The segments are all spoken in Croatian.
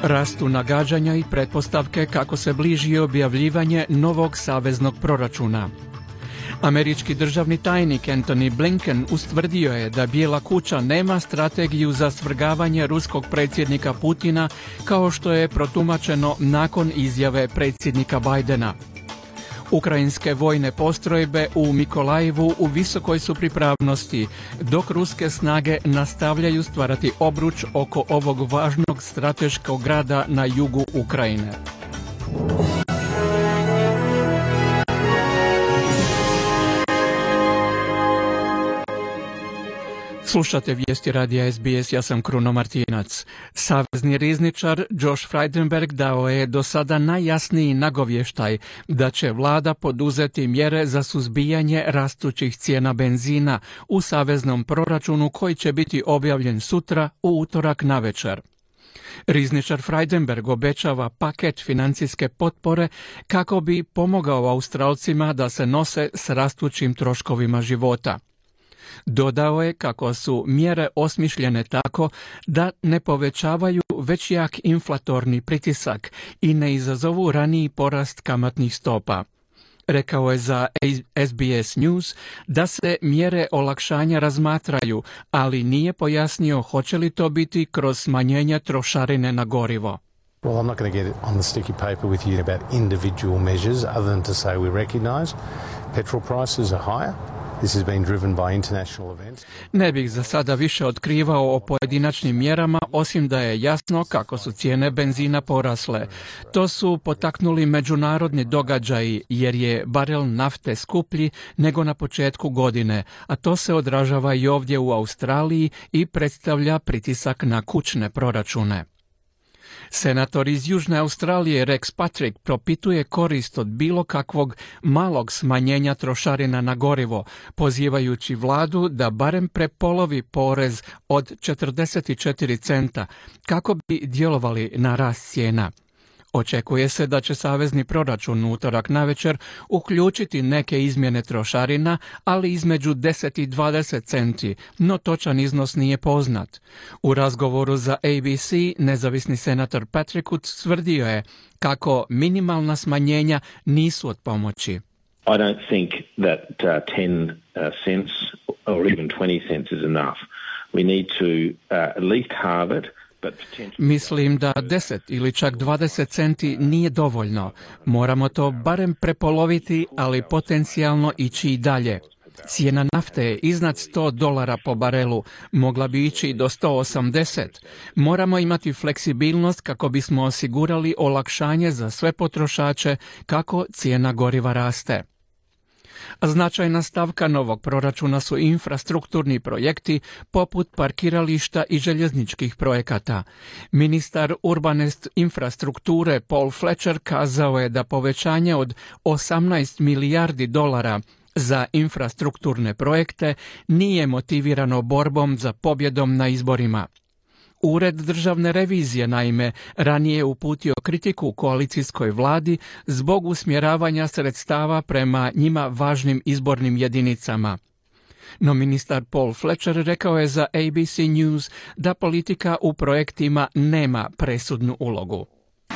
Rastu nagađanja i pretpostavke kako se bliži objavljivanje novog saveznog proračuna. Američki državni tajnik Antony Blinken ustvrdio je da Bijela kuća nema strategiju za svrgavanje ruskog predsjednika Putina kao što je protumačeno nakon izjave predsjednika Bidena. Ukrajinske vojne postrojbe u Mikolajevu u visokoj su pripravnosti, dok ruske snage nastavljaju stvarati obruč oko ovog važnog strateškog grada na jugu Ukrajine. Slušate vijesti radija SBS, ja sam Kruno Martinac. Savezni rizničar Josh Frydenberg dao je do sada najjasniji nagovještaj da će vlada poduzeti mjere za suzbijanje rastućih cijena benzina u saveznom proračunu koji će biti objavljen sutra u utorak navečer. Rizničar Frydenberg obećava paket financijske potpore kako bi pomogao Australcima da se nose s rastućim troškovima života. Dodao je kako su mjere osmišljene tako da ne povećavaju već jak inflatorni pritisak i ne izazovu raniji porast kamatnih stopa. Rekao je za SBS News da se mjere olakšanja razmatraju, ali nije pojasnio hoće li to biti kroz smanjenje trošarine na gorivo. Well, I'm not going to get on the sticky paper with you about individual measures other than to say we recognise petrol prices are higher. This has been driven by international events. Ne bih za sada više otkrivao o pojedinačnim mjerama, osim da je jasno kako su cijene benzina porasle. To su potaknuli međunarodni događaji jer je barel nafte skuplji nego na početku godine, a to se odražava i ovdje u Australiji i predstavlja pritisak na kućne proračune. Senator iz Južne Australije Rex Patrick propituje korist od bilo kakvog malog smanjenja trošarina na gorivo, pozivajući vladu da barem prepolovi porez od 44 centa kako bi djelovali na rast cijena. Očekuje se da će savezni proračun utorak navečer uključiti neke izmjene trošarina, ali između 10 i 20 centi, no točan iznos nije poznat. U razgovoru za ABC nezavisni senator Patrick tvrdio je kako minimalna smanjenja nisu od pomoći. I don't think that 10 cents or even 20 cents is enough. We need to at least halve it. Mislim da 10 ili čak 20 centi nije dovoljno. Moramo to barem prepoloviti, ali potencijalno ići i dalje. Cijena nafte je iznad $100 po barelu, mogla bi ići do 180. Moramo imati fleksibilnost kako bismo osigurali olakšanje za sve potrošače kako cijena goriva raste. Značajna stavka novog proračuna su infrastrukturni projekti poput parkirališta i željezničkih projekata. Ministar urbane infrastrukture Paul Fletcher kazao je da povećanje od $18 milijardi za infrastrukturne projekte nije motivirano borbom za pobjedom na izborima. Ured državne revizije, naime, ranije je uputio kritiku koalicijskoj vladi zbog usmjeravanja sredstava prema njima važnim izbornim jedinicama. No ministar Paul Fletcher rekao je za ABC News da politika u projektima nema presudnu ulogu.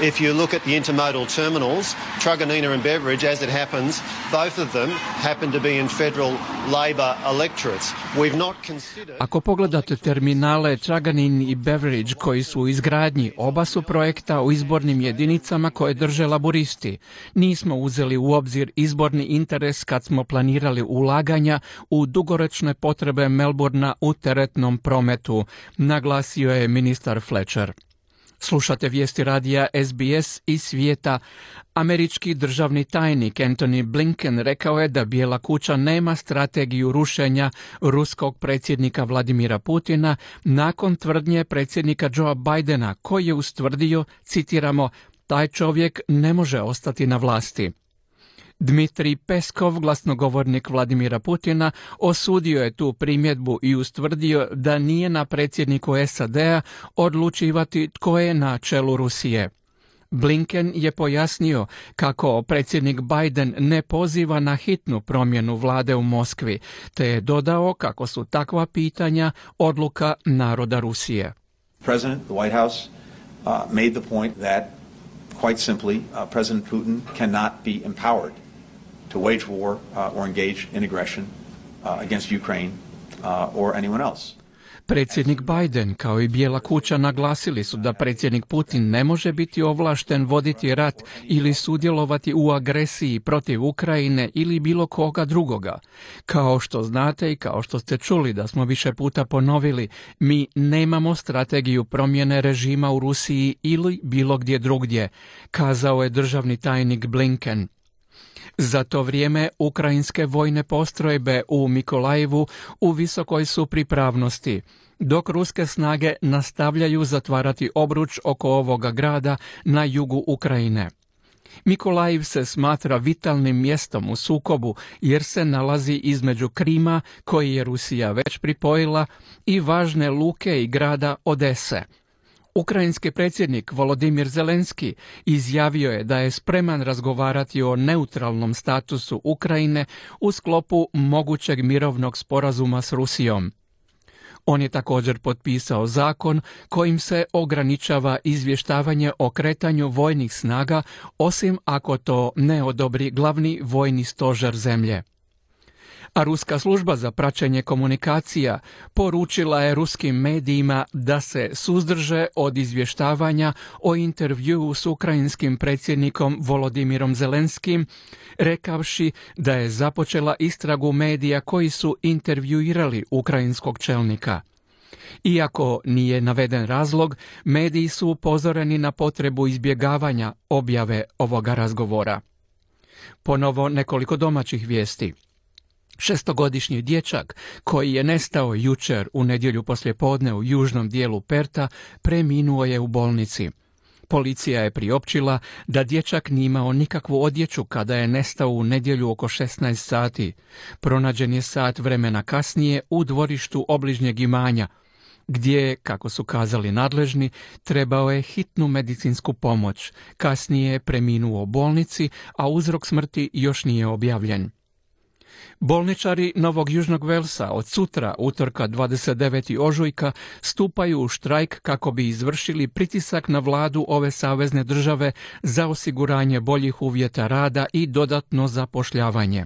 If you look at the intermodal terminals, Truganina and Beveridge, as it happens, both of them happen to be in federal Labor electorates. We've not considered... Ako pogledate terminale Truganin i Beveridge koji su u izgradnji, oba su projekta u izbornim jedinicama koje drže laburisti. Nismo uzeli u obzir izborni interes kad smo planirali ulaganja u dugoročne potrebe Melbourna u teretnom prometu, naglasio je ministar Fletcher. Slušate vijesti radija SBS iz svijeta. Američki državni tajnik Antony Blinken rekao je da Bijela kuća nema strategiju rušenja ruskog predsjednika Vladimira Putina nakon tvrdnje predsjednika Joea Bidena koji je ustvrdio, citiramo, taj čovjek ne može ostati na vlasti. Dmitrij Peskov, glasnogovornik Vladimira Putina, osudio je tu primjedbu i ustvrdio da nije na predsjedniku SAD-a odlučivati tko je na čelu Rusije. Blinken je pojasnio kako predsjednik Biden ne poziva na hitnu promjenu vlade u Moskvi, te je dodao kako su takva pitanja odluka naroda Rusije. President, the White House made the point that, quite simply, President Putin cannot be empowered to wage war or engage in aggression against Ukraine or anyone else. Predsjednik Biden kao i Bijela kuća naglasili su da predsjednik Putin ne može biti ovlašten voditi rat ili sudjelovati u agresiji protiv Ukrajine ili bilo koga drugoga. Kao što znate i kao što ste čuli da smo više puta ponovili, mi nemamo strategiju promjene režima u Rusiji ili bilo gdje drugdje, kazao je državni tajnik Blinken. Za to vrijeme ukrajinske vojne postrojbe u Mikolajevu u visokoj su pripravnosti, dok ruske snage nastavljaju zatvarati obruč oko ovoga grada na jugu Ukrajine. Mikolajiv se smatra vitalnim mjestom u sukobu jer se nalazi između Krima, koji je Rusija već pripojila, i važne luke i grada Odese. Ukrajinski predsjednik Volodimir Zelenski izjavio je da je spreman razgovarati o neutralnom statusu Ukrajine u sklopu mogućeg mirovnog sporazuma s Rusijom. On je također potpisao zakon kojim se ograničava izvještavanje o kretanju vojnih snaga, osim ako to ne odobri glavni vojni stožer zemlje. A ruska služba za praćenje komunikacija poručila je ruskim medijima da se suzdrže od izvještavanja o intervjuu s ukrajinskim predsjednikom Volodimirom Zelenskim, rekavši da je započela istragu medija koji su intervjuirali ukrajinskog čelnika. Iako nije naveden razlog, mediji su upozoreni na potrebu izbjegavanja objave ovoga razgovora. Ponovo nekoliko domaćih vijesti. 6-godišnji dječak koji je nestao jučer u nedjelju poslijepodne u južnom dijelu Perta preminuo je u bolnici. Policija je priopćila da dječak nije imao nikakvu odjeću kada je nestao u nedjelju oko 16 sati. Pronađen je sat vremena kasnije u dvorištu obližnjeg imanja, gdje, kako su kazali nadležni, trebao je hitnu medicinsku pomoć. Kasnije je preminuo u bolnici, a uzrok smrti još nije objavljen. Bolničari Novog Južnog Velsa od sutra, utorka 29. ožujka, stupaju u štrajk kako bi izvršili pritisak na vladu ove savezne države za osiguranje boljih uvjeta rada i dodatno zapošljavanje.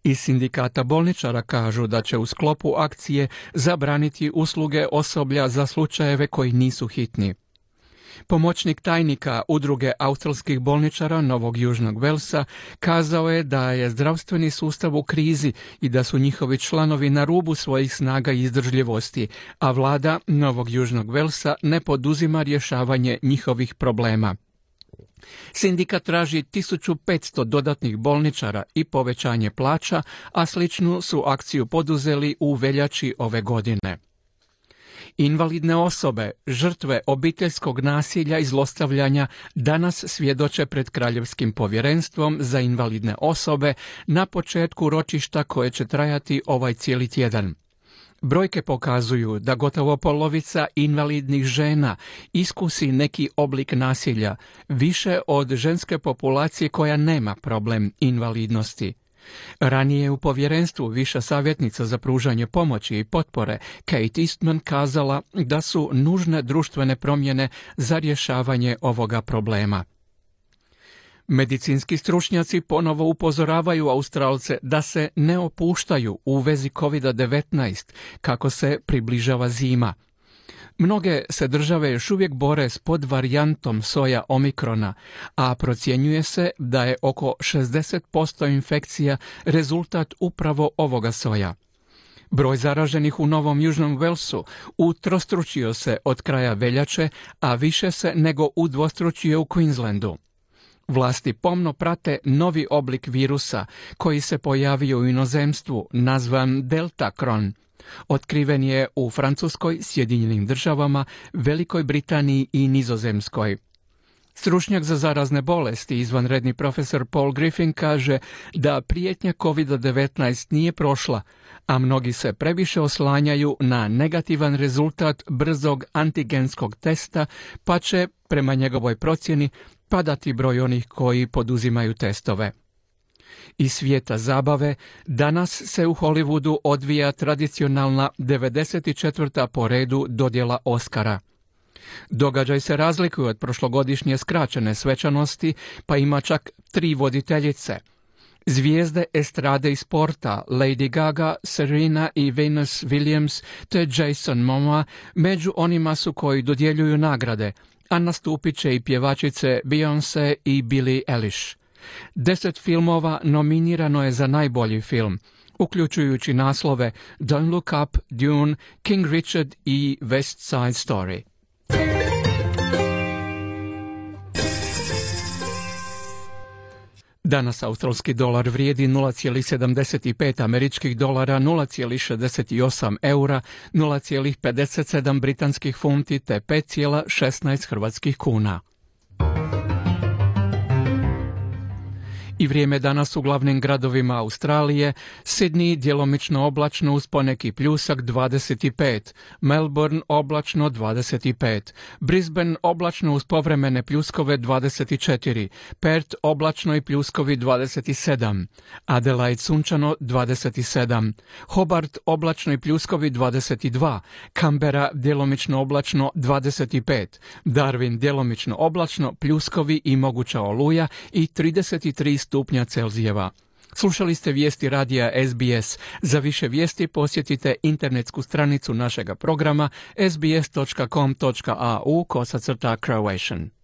Iz sindikata bolničara kažu da će u sklopu akcije zabraniti usluge osoblja za slučajeve koji nisu hitni. Pomoćnik tajnika Udruge australskih bolničara Novog Južnog Velsa kazao je da je zdravstveni sustav u krizi i da su njihovi članovi na rubu svojih snaga i izdržljivosti, a vlada Novog Južnog Velsa ne poduzima rješavanje njihovih problema. Sindikat traži 1500 dodatnih bolničara i povećanje plaća, a sličnu su akciju poduzeli u veljači ove godine. Invalidne osobe, žrtve obiteljskog nasilja i zlostavljanja danas svjedoče pred Kraljevskim povjerenstvom za invalidne osobe na početku ročišta koje će trajati ovaj cijeli tjedan. Brojke pokazuju da gotovo polovica invalidnih žena iskusi neki oblik nasilja, više od ženske populacije koja nema problem invalidnosti. Ranije u povjerenstvu viša savjetnica za pružanje pomoći i potpore Kate Eastman kazala da su nužne društvene promjene za rješavanje ovoga problema. Medicinski stručnjaci ponovo upozoravaju Australce da se ne opuštaju u vezi COVID-19 kako se približava zima. Mnoge se države još uvijek bore s podvarijantom soja omikrona, a procjenjuje se da je oko 60% infekcija rezultat upravo ovoga soja. Broj zaraženih u Novom Južnom Velsu utrostručio se od kraja veljače, a više se nego udvostručio u Queenslandu. Vlasti pomno prate novi oblik virusa koji se pojavio u inozemstvu, nazvan Delta Kron. Otkriven je u Francuskoj, Sjedinjenim Državama, Velikoj Britaniji i Nizozemskoj. Stručnjak za zarazne bolesti, izvanredni profesor Paul Griffin, kaže da prijetnja COVID-19 nije prošla, a mnogi se previše oslanjaju na negativan rezultat brzog antigenskog testa, pa će, prema njegovoj procjeni, padati broj onih koji poduzimaju testove. Iz svijeta zabave, danas se u Hollywoodu odvija tradicionalna 94. po redu dodjela Oscara. Događaj se razlikuje od prošlogodišnje skraćene svečanosti, pa ima čak 3 voditeljice. Zvijezde estrade i sporta Lady Gaga, Serena i Venus Williams te Jason Momoa među onima su koji dodjeljuju nagrade, a nastupit će i pjevačice Beyoncé i Billie Eilish. 10 filmova nominirano je za najbolji film, uključujući naslove Don't Look Up, Dune, King Richard i West Side Story. Danas australski dolar vrijedi 0,75 američkih dolara, 0,68 eura, 0,57 britanskih funti te 5,16 hrvatskih kuna. I vrijeme danas u glavnim gradovima Australije: Sydney djelomično oblačno uz poneki pljusak 25, Melbourne oblačno 25, Brisbane oblačno uz povremene pljuskove 24, Perth oblačno i pljuskovi 27, Adelaide sunčano 27, Hobart oblačno i pljuskovi 22, Canberra djelomično oblačno 25, Darwin djelomično oblačno, pljuskovi i moguća oluja i 33 stupnja Celzijeva. Slušali ste vijesti radija SBS. Za više vijesti posjetite internetsku stranicu našega programa sbs.com.au/Croatian.